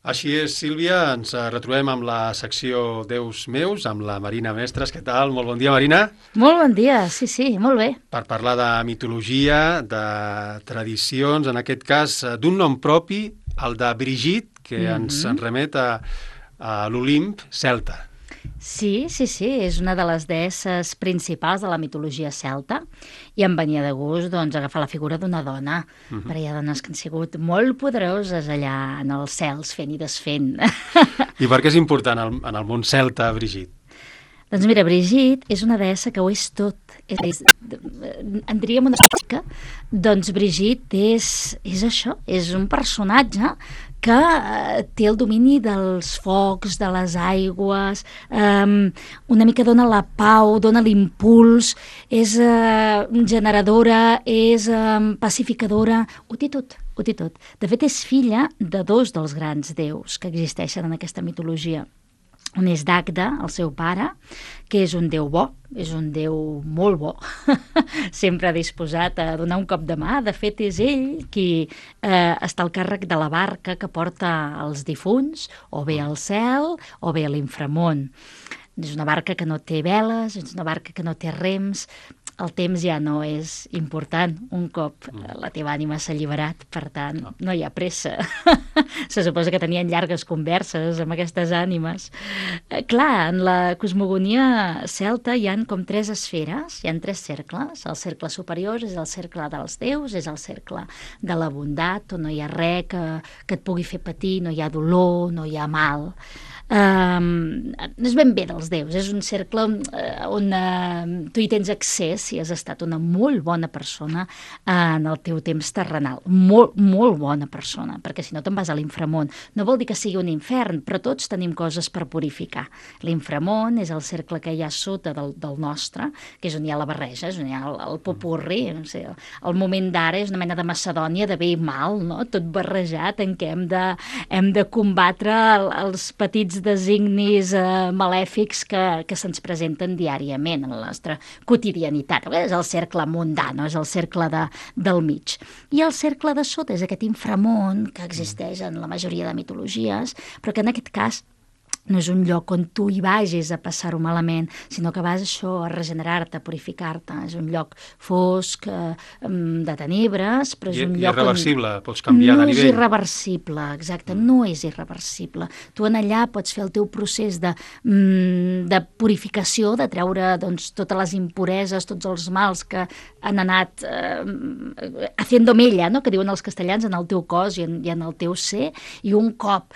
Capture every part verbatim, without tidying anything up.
Així és, Sílvia, ens retrobem amb la secció Déus meus, amb la Marina Mestres. Què tal? Molt bon dia, Marina. Molt bon dia, sí, sí, molt bé. Per parlar de mitologia, de tradicions, en aquest cas d'un nom propi, el de Brigitte, que mm-hmm. ens en remet a, a l'Olimp celta. Sí, sí, sí, és una de les deesses principals de la mitologia celta i em venia de gust doncs, agafar la figura d'una dona, mm-hmm. perquè hi ha dones que han sigut molt poderoses allà en els cels fent i desfent. I per què és important en el món celta, Brigitte? Doncs mira, Brigitte és una deessa que ho és tot. És, és, en diríem una explica, doncs Brigitte és, és això, és un personatge que eh, té el domini dels focs, de les aigües, eh, una mica dona la pau, dona l'impuls, és eh, generadora, és eh, pacificadora, ho té tot, ho té tot. De fet, és filla de dos dels grans déus que existeixen en aquesta mitologia. Un és Dagda, el seu pare, que és un déu bo, és un déu molt bo, sempre disposat a donar un cop de mà. De fet, és ell qui eh, està al càrrec de la barca que porta els difunts, o bé al cel, o bé a l'inframón. És una barca que no té veles, és una barca que no té rems. El temps ja no és important un cop la teva ànima s'ha alliberat, per tant, no hi ha pressa. Se suposa que tenien llargues converses amb aquestes ànimes. Eh, clar, en la cosmogonia celta hi han com tres esferes, hi han tres cercles. El cercle superior és el cercle dels déus, és el cercle de la bondat, on no hi ha res que, que et pugui fer patir, no hi ha dolor, no hi ha mal. Um, no és ben bé dels déus, és un cercle uh, on uh, tu hi tens accés si has estat una molt bona persona uh, en el teu temps terrenal, molt, molt bona persona, perquè si no te'n vas a l'inframón. No vol dir que sigui un infern, però tots tenim coses per purificar. L'inframón és el cercle que hi ha sota del, del nostre, que és on hi ha la barreja, és on hi ha el, el popurri, no sé, el, el moment d'ara és una mena de Macedònia de bé i mal, no? Tot barrejat en què hem de, hem de combatre el, els petits designis eh, malèfics que, que se'ns presenten diàriament en la nostra quotidianitat. És el cercle mundà, no? És el cercle de, del mig. I el cercle de sota és aquest inframón que existeix en la majoria de mitologies, però que en aquest cas no és un lloc on tu hi vagis a passar-ho malament, sinó que vas això a regenerar-te, a purificar-te. És un lloc fosc, eh, de tenebres, però és I, un i lloc irreversible, on... pots canviar no de nivell. No és irreversible, exacte, no és irreversible. Tu en allà pots fer el teu procés de, de purificació, de treure doncs, totes les impureses, tots els mals que han anat eh, haciendo mella, no? Que diuen els castellans, en el teu cos i en, i en el teu ser, i un cop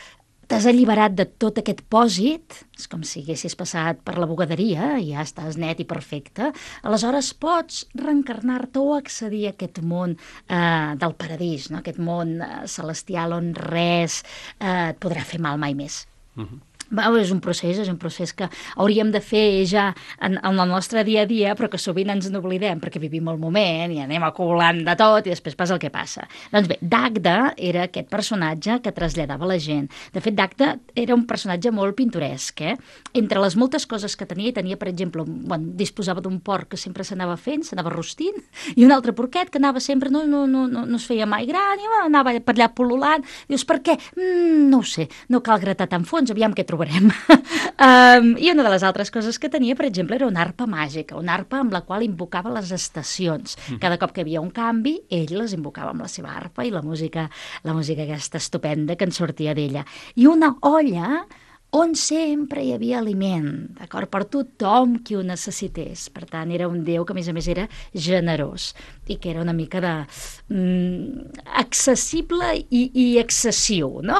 t'has alliberat de tot aquest pòsit, és com si haguessis passat per la bugaderia i ja estàs net i perfecte, aleshores pots reencarnar-te o accedir a aquest món eh, del paradís, no? Aquest món eh, celestial on res eh, et podrà fer mal mai més. Uh-huh. És un procés, és un procés que hauríem de fer ja en, en el nostre dia a dia, però que sovint ens n'oblidem perquè vivim el moment i anem acumulant de tot i després passa el que passa. Doncs bé, Dagda era aquest personatge que traslladava la gent. De fet, Dagda era un personatge molt pintoresc, eh? Entre les moltes coses que tenia, tenia, per exemple, bueno, disposava d'un porc que sempre s'anava fent, s'anava rostint, i un altre porquet que anava sempre, no, no, no, no, no es feia mai gran, i anava per allà pol·lulant. Dius, per què? Mm, no ho sé, no cal gratar tan fons, aviam què trobarem. um, I una de les altres coses que tenia, per exemple, era una arpa màgica, una arpa amb la qual invocava les estacions. Cada cop que hi havia un canvi, ell les invocava amb la seva arpa i la música, la música aquesta estupenda que en sortia d'ella. I una olla on sempre hi havia aliment, d'acord, per tothom qui ho necessités. Per tant, era un déu que, a més a més, era generós i que era una mica de mm, accessible i, i excessiu, no?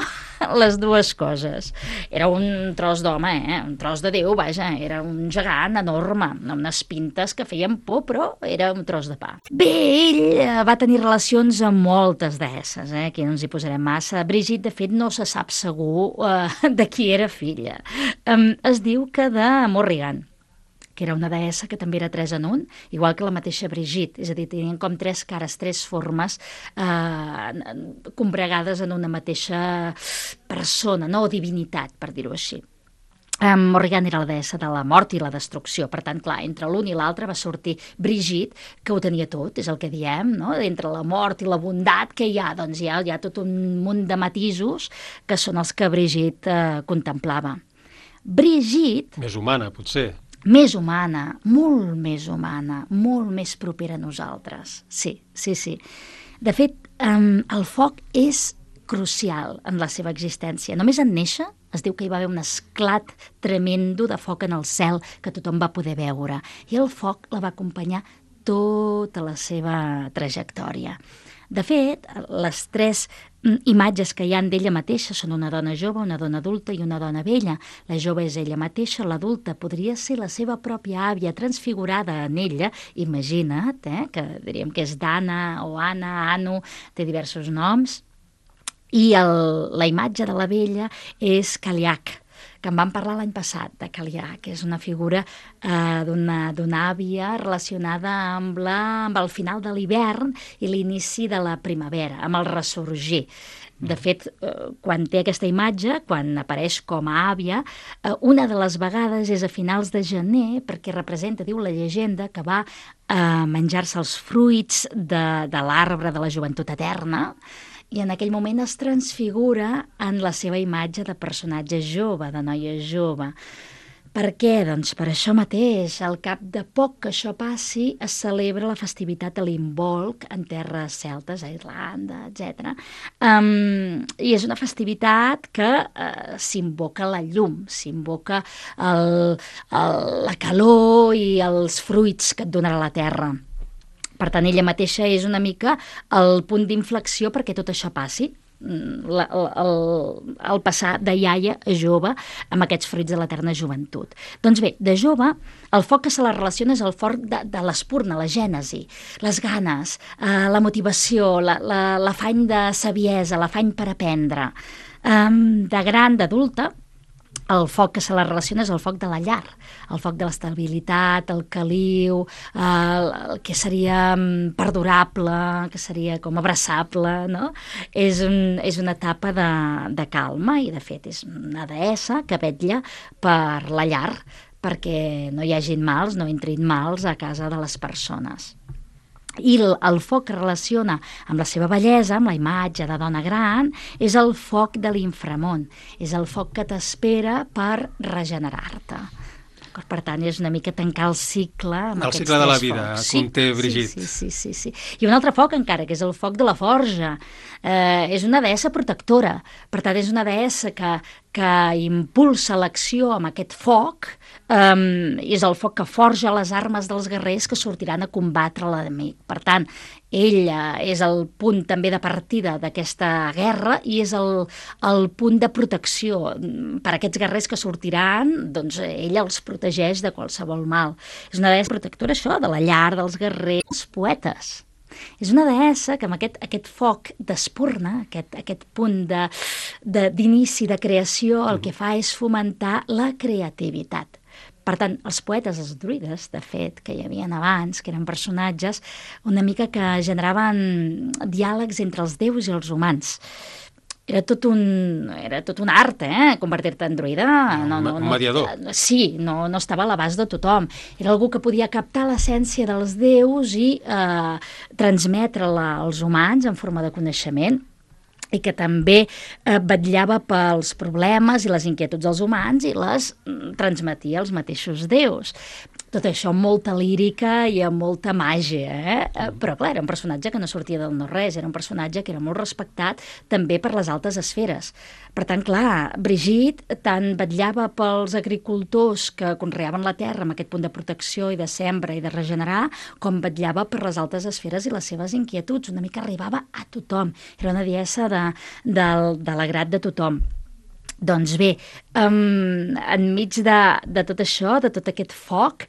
Les dues coses. Era un tros d'home, eh? Un tros de déu, vaja, era un gegant enorme, amb unes pintes que feien por, però era un tros de pa. Bé, ell va tenir relacions amb moltes deesses, eh? Aquí no ens hi posarem massa. Brigitte, de fet, no se sap segur eh, de qui era filla. Um, es diu que de Morrigan, que era una deessa que també era tres en un, igual que la mateixa Brigitte, és a dir, tenien com tres cares, tres formes eh, combregades en una mateixa persona, no? O divinitat, per dir-ho així. Um, Morrigan era la deessa de la mort i la destrucció. Per tant, clar, entre l'un i l'altre va sortir Brigitte, que ho tenia tot, és el que diem, no? Entre la mort i la bondat que hi ha, doncs hi ha, hi ha tot un munt de matisos que són els que Brigitte eh, contemplava. Brigitte... Més humana, potser. Més humana, molt més humana, molt més propera a nosaltres. Sí, sí, sí. De fet, um, el foc és crucial en la seva existència. Només en néixer es diu que hi va haver un esclat tremendo de foc en el cel que tothom va poder veure. I el foc la va acompanyar tota la seva trajectòria. De fet, les tres imatges que hi han d'ella mateixa són una dona jove, una dona adulta i una dona vella. La jove és ella mateixa, l'adulta podria ser la seva pròpia àvia transfigurada en ella, imagina't, eh, que diríem que és Dana o Anna, Anu, té diversos noms. I el, la imatge de la vella és Caliac, que en vam parlar l'any passat, de Caliac, que és una figura eh, d'una àvia relacionada amb, la, amb el final de l'hivern i l'inici de la primavera, amb el ressorgir. De fet, eh, quan té aquesta imatge, quan apareix com a àvia, eh, una de les vegades és a finals de gener, perquè representa, diu la llegenda, que va eh, menjar-se els fruits de, de l'arbre de la joventut eterna, i en aquell moment es transfigura en la seva imatge de personatge jove, de noia jove. Per què? Doncs per això mateix, al cap de poc que això passi, es celebra la festivitat de l'Imbolc en terres celtes, a Irlanda, etcètera. Um, I és una festivitat que uh, s'invoca la llum, s'invoca el, el, la calor i els fruits que et donarà la terra. Per tant, ella mateixa és una mica el punt d'inflexió perquè tot això passi, la, el, el passar de iaia a jove amb aquests fruits de l'eterna joventut. Doncs bé, de jove, el foc que se la relaciona és el foc de, de l'espurna, la gènesi, les ganes, eh, la motivació, la, la, l'afany de saviesa, l'afany per aprendre. Um, de gran, d'adulta, el foc que se la relaciona és el foc de la llar, el foc de l'estabilitat, el caliu, el, el que seria perdurable, que seria com abraçable, no? És, un, és una etapa de, de calma i, de fet, és una deessa que vetlla per la llar, perquè no hi hagin mals, no entrin mals a casa de les persones. I el, el foc que relaciona amb la seva bellesa, amb la imatge de dona gran, és el foc de l'inframont, és el foc que t'espera per regenerar-te. Per tant, és una mica tancar el cicle amb el aquests cicle de la tres vida, focs. conté Brigitte. Sí, sí, sí, sí, sí. I un altre foc encara, que és el foc de la forja. Eh, és una deessa protectora, per tant, és una deessa que, que impulsa l'acció amb aquest foc, um, és el foc que forja les armes dels guerrers que sortiran a combatre l'enemic. Per tant, ella és el punt també de partida d'aquesta guerra i és el, el punt de protecció per a aquests guerrers que sortiran, doncs ella els protegeix de qualsevol mal. És una deessa protectora, això, de la llar, dels guerrers, poetes. És una deessa que amb aquest, aquest foc d'espurna, aquest, aquest punt de, de, d'inici de creació, el que fa és fomentar la creativitat. Per tant, els poetes, els druides, de fet, que hi havien abans, que eren personatges una mica que generaven diàlegs entre els déus i els humans. Era tot un, era tot un art, eh? Convertir-te en druida. No, no, un mediador. No, sí, no, no estava a l'abast de tothom. Era algú que podia captar l'essència dels déus i eh, transmetre-la als humans en forma de coneixement, i que també eh, vetllava pels problemes i les inquietuds dels humans i les mm, transmetia als mateixos déus. Tot això amb molta lírica i amb molta màgia, eh? Però clar, era un personatge que no sortia del no-res, era un personatge que era molt respectat també per les altes esferes. Per tant, clar, Brigitte tant vetllava pels agricultors que conreaven la terra amb aquest punt de protecció i de sembra i de regenerar, com vetllava per les altes esferes i les seves inquietuds. Una mica arribava a tothom. Era una deessa de, de, de l'agrat de tothom. Doncs bé, um, enmig de, de tot això, de tot aquest foc,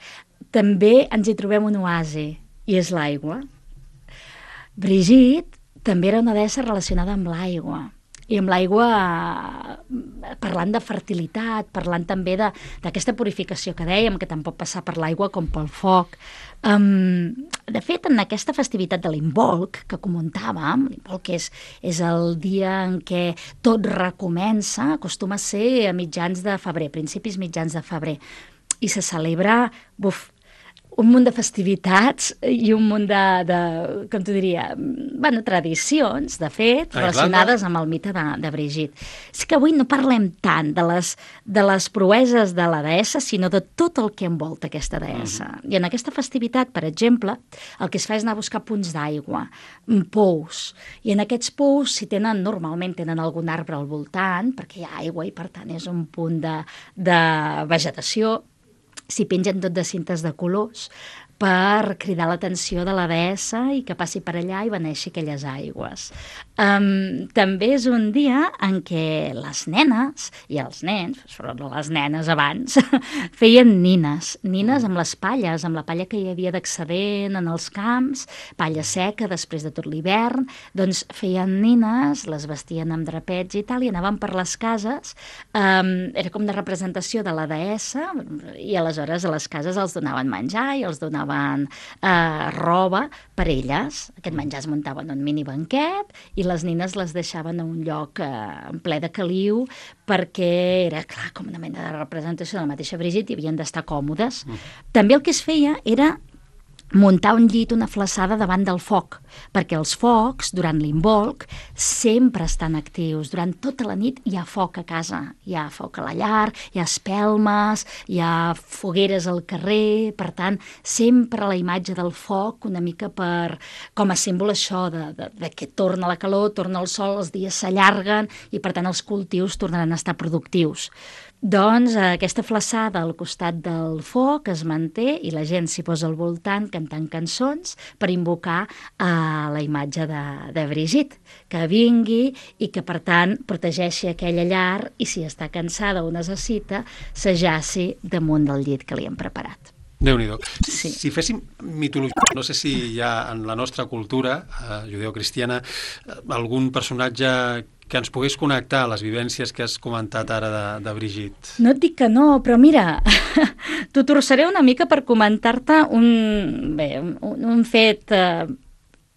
també ens hi trobem un oasi, i és l'aigua. Brigitte també era una deessa relacionada amb l'aigua, i amb l'aigua parlant de fertilitat, parlant també d'aquesta purificació que dèiem, que tant pot passar per l'aigua com pel foc. Um, de fet, en aquesta festivitat de l'Imbolc, que comentàvem, l'Imbolc és, és el dia en què tot recomença, acostuma a ser a mitjans de febrer, principis mitjans de febrer, i se celebra, buf, un munt de festivitats i un munt de, de com t'ho diria, bueno, tradicions, de fet, relacionades amb el mite de, de Brigitte. És que avui no parlem tant de les, de les proeses de la deessa, sinó de tot el que envolta aquesta deessa. Mm. I en aquesta festivitat, per exemple, el que es fa és anar a buscar punts d'aigua, pous, i en aquests pous, si tenen, normalment tenen algun arbre al voltant, perquè hi ha aigua i per tant és un punt de, de vegetació, s'hi pengen tot de cintes de colors per cridar l'atenció de la deessa i que passi per allà i beneixi aquelles aigües. Um, també és un dia en què les nenes i els nens, però les nenes abans, feien nines, nines amb les palles, amb la palla que hi havia d'excedent en els camps, palla seca després de tot l'hivern, doncs feien nines, les vestien amb drapets i tal, i anaven per les cases, um, era com de representació de la deessa, i aleshores a les cases els donaven menjar i els donaven Eh, roba per elles. Aquest menjar es muntava en un mini banquet i les nines les deixaven a un lloc eh, en ple de caliu perquè era, clar, com una mena de representació de la mateixa Brigitte i havien d'estar còmodes. Mm. També el que es feia era muntar un llit, una flassada davant del foc, perquè els focs, durant l'Imbolc, sempre estan actius. Durant tota la nit hi ha foc a casa, hi ha foc a la llar, hi ha espelmes, hi ha fogueres al carrer, per tant, sempre la imatge del foc, una mica per, com a símbol això, de, de, de que torna la calor, torna el sol, els dies s'allarguen i, per tant, els cultius tornaran a estar productius. Doncs aquesta flassada al costat del foc es manté i la gent s'hi posa al voltant cantant cançons per invocar a la imatge de, de Brigitte, que vingui i que, per tant, protegeixi aquella llar i, si està cansada o necessita, s'ajaci damunt del llit que li hem preparat. Déu-n'hi-do. Sí. Si féssim mitologia, no sé si hi ha en la nostra cultura eh, judeocristiana algun personatge que ens pogués connectar a les vivències que has comentat ara de, de Brigitte. No et dic que no, però mira, t'ho torçaré una mica per comentar-te un, bé, un, un fet... Eh,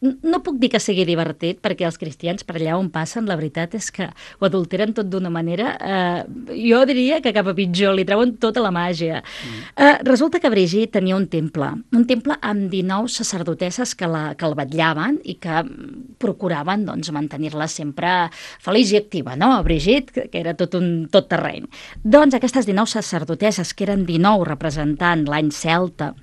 no puc dir que sigui divertit, perquè els cristians per allà on passen, la veritat és que ho adulteren tot d'una manera, eh, jo diria que cap a pitjor, li treuen tota la màgia. Mm. Eh, resulta que Brigitte tenia un temple, un temple amb dinou sacerdotesses que, la, que el vetllaven i que procuraven doncs, mantenir-la sempre feliç i activa, no? Brigitte, que, que era tot un tot terreny. Doncs aquestes dinou sacerdotesses, que eren dinou representant l'any celta,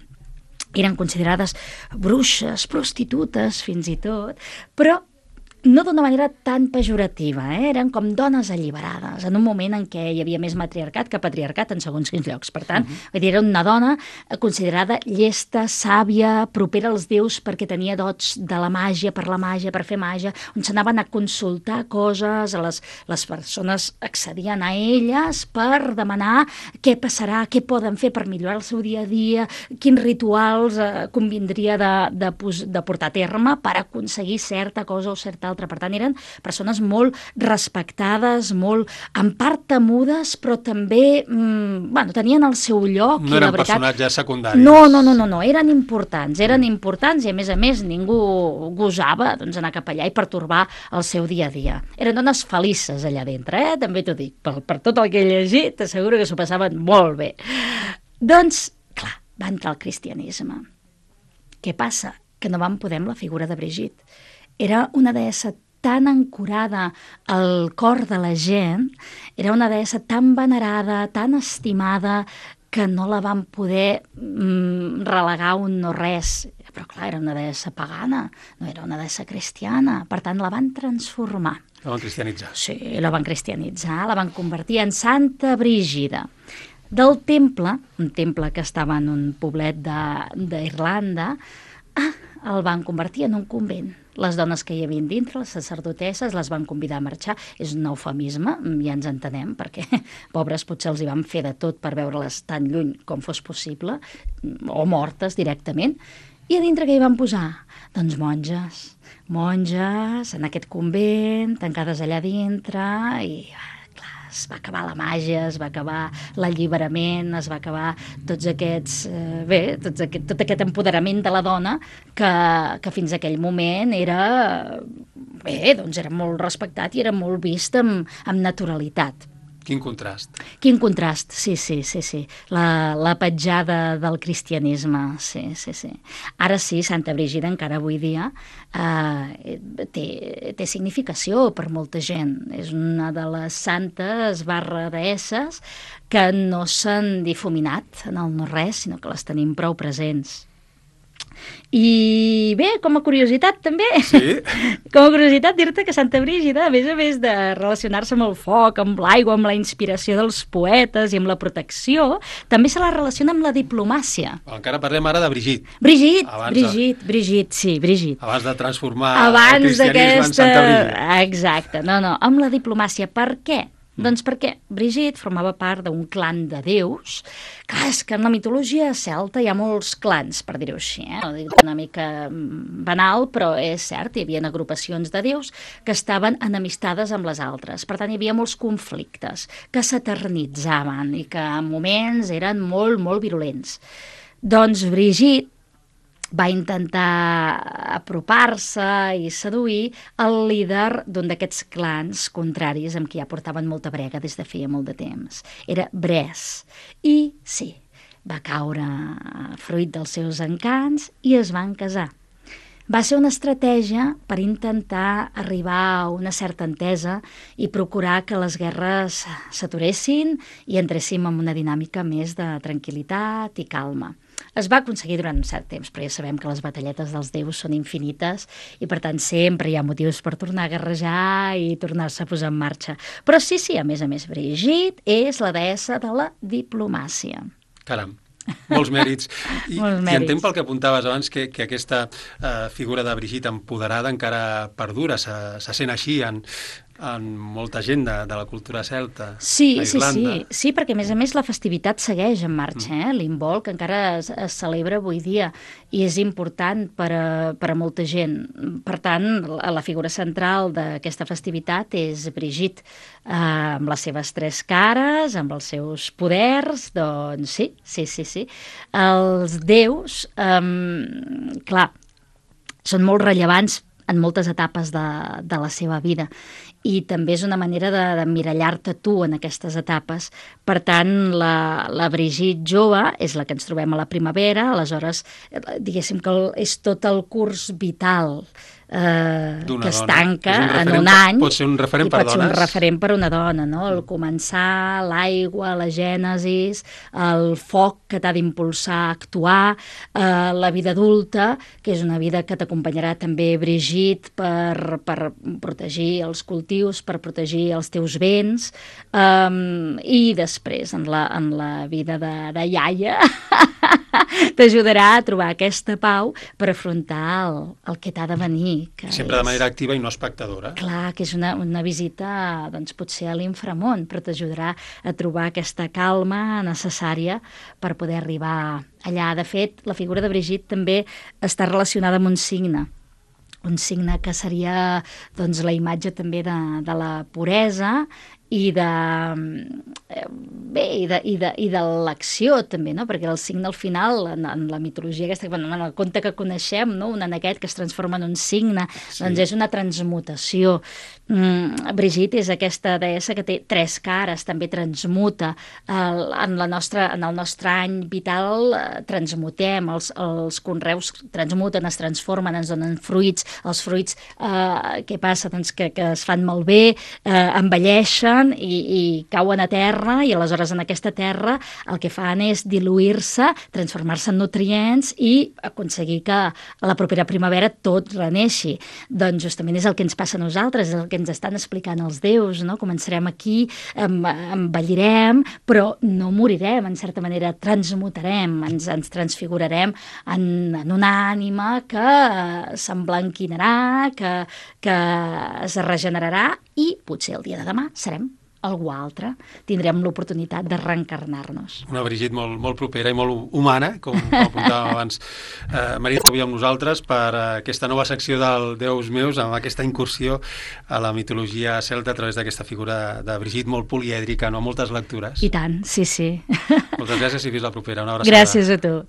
eren considerades bruixes, prostitutes, fins i tot, però no d'una manera tan pejorativa, eh? Eren com dones alliberades, en un moment en què hi havia més matriarcat que patriarcat en segons quins llocs. Per tant, uh-huh. vull dir, era una dona considerada llesta, sàvia, propera als déus perquè tenia dots de la màgia, per la màgia, per fer màgia, on s'anaven a consultar coses, a les, les persones accedien a elles per demanar què passarà, què poden fer per millorar el seu dia a dia, quins rituals eh, convindria de, de, de portar a terme per aconseguir certa cosa o certa altra. Per tant, eren persones molt respectades, molt en part temudes, però també mmm, bueno, tenien el seu lloc. No i eren la veritat, personatges secundaris. No, no, no, no, no, eren importants, eren importants i, a més a més, ningú gosava doncs, anar cap allà i pertorbar el seu dia a dia. Eren dones felices allà dintre, eh? També t'ho dic, per, per tot el que he llegit, t'asseguro que s'ho passaven molt bé. Doncs, clar, va entrar el cristianisme. Què passa? Que no van poder amb la figura de Brigitte. Era una deessa tan ancorada al cor de la gent, era una deessa tan venerada, tan estimada, que no la van poder mm, relegar un no res. Però clar, era una deessa pagana, no era una deessa cristiana, per tant la van transformar. La van cristianitzar. Sí, la van cristianitzar, la van convertir en Santa Brígida. Del temple, un temple que estava en un poblet d'Irlanda, ah, el van convertir en un convent. Les dones que hi havia dintre, les sacerdotesses, les van convidar a marxar. És un eufemisme, ja ens entenem, perquè pobres potser els hi van fer de tot per veure-les tan lluny com fos possible, o mortes directament, I a dintre què hi van posar? Doncs monges, monges en aquest convent, tancades allà dintre, i clar, es va acabar la màgia, es va acabar l'alliberament, es va acabar tots aquests, eh, bé, tots aquest, tot aquest empoderament de la dona que, que fins a aquell moment era, bé, doncs era molt respectat i era molt vist amb, amb naturalitat. Quin contrast. Quin contrast, sí, sí, sí, sí. La, la petjada del cristianisme, sí, sí, sí. Ara sí, Santa Brígida encara avui dia eh, té, té significació per molta gent. És una de les santes barra deesses que no s'han difuminat en el no-res, sinó que les tenim prou presents. I bé, com a curiositat també, sí? com a curiositat dir-te que Santa Brígida, a més a més de relacionar-se amb el foc, amb l'aigua, amb la inspiració dels poetes i amb la protecció, també se la relaciona amb la diplomàcia. Encara parlem ara de Brigitte. Brigitte, abans Brigitte, de... Brigitte, sí, Brigitte. Abans de transformar abans el cristianisme en Santa Brígida. Exacte, no, no, amb la diplomàcia. Per què? Mm. Doncs perquè Brigitte formava part d'un clan de déus. Clar, és que en la mitologia celta hi ha molts clans, per dir-ho així, eh? No dic una mica banal, però és cert, hi havia agrupacions de déus que estaven enemistades amb les altres. Per tant, hi havia molts conflictes que s'eternitzaven i que en moments eren molt, molt virulents. Doncs Brigitte va intentar apropar-se i seduir el líder d'un d'aquests clans contraris amb qui ja portaven molta brega des de feia molt de temps. Era Bres. I sí, va caure fruit dels seus encants i es van casar. Va ser una estratègia per intentar arribar a una certa entesa i procurar que les guerres s'aturessin i entréssim en una dinàmica més de tranquil·litat i calma. Es va aconseguir durant un cert temps, però ja sabem que les batalletes dels déus són infinites i, per tant, sempre hi ha motius per tornar a guerrejar i tornar-se a posar en marxa. Però sí, sí, a més a més, Brigitte és la deessa de la diplomàcia. Caram, molts mèrits. I, molts mèrits. I entenc pel que apuntaves abans que, que aquesta uh, figura de Brigitte empoderada encara perdura, se, se sent així en, en molta gent de, de la cultura celta sí, a Irlanda. Sí, sí, sí, perquè a més a més la festivitat segueix en marxa, eh? L'Imbolc encara es, es celebra avui dia i és important per a, per a molta gent. Per tant, la, la figura central d'aquesta festivitat és Brigitte, eh, amb les seves tres cares, amb els seus poders, doncs sí, sí, sí, sí. Els déus, eh, clar, són molt rellevants en moltes etapes de, de la seva vida i també és una manera d'emmirallar-te tu en aquestes etapes. Per tant, la, la Brigitte jove és la que ens trobem a la primavera, aleshores, diguéssim que el, és tot el curs vital eh, que es tanca en un any. Pot ser un referent per dones. Pot ser un referent per una dona, no? El començar, l'aigua, la gènesis, el foc que t'ha d'impulsar a actuar, eh, la vida adulta, que és una vida que t'acompanyarà també Brigitte per, per protegir els cultius, per protegir els teus béns, um, i després en la, en la vida de, de iaia t'ajudarà a trobar aquesta pau per afrontar el, el que t'ha de venir. Que sempre és, de manera activa i no espectadora. Clar, que és una, una visita doncs, potser a l'inframón, però t'ajudarà a trobar aquesta calma necessària per poder arribar allà. De fet, la figura de Brigitte també està relacionada amb un signe, un signe que seria doncs, la imatge també de, de la puresa i de, bé, i de, i de, i de l'acció també, no? Perquè el signe al final, en, en la mitologia aquesta, bueno, en el conte que coneixem, no? Un aneguet que es transforma en un signe, sí. Doncs és una transmutació. Mm, Brigitte és aquesta deessa que té tres cares, també transmuta. El, en, la nostra, en el nostre any vital eh, transmutem, els, els conreus transmuten, es transformen, ens donen fruits, els fruits, eh, què passa? Doncs que, que es fan malbé, eh, envelleixen, I, i cauen a terra i aleshores en aquesta terra el que fan és diluir-se, transformar-se en nutrients i aconseguir que a la propera primavera tot reneixi. Doncs justament és el que ens passa a nosaltres, és el que ens estan explicant els déus, no? Començarem aquí, envellirem, però no morirem, en certa manera transmutarem, ens, ens transfigurarem en, en una ànima que s'emblanquinarà, que, que es regenerarà i potser el dia de demà serem algú altre, tindrem l'oportunitat de reencarnar-nos. Una Brigitte molt, molt propera i molt humana, com, com apuntàvem abans. Eh, Maria, avui amb nosaltres per aquesta nova secció del Déus meus, amb aquesta incursió a la mitologia celta a través d'aquesta figura de Brigitte molt polièdrica, no? Moltes lectures. I tant, sí, sí. Moltes gràcies i fins la propera. Una abraçada. Gràcies a tu.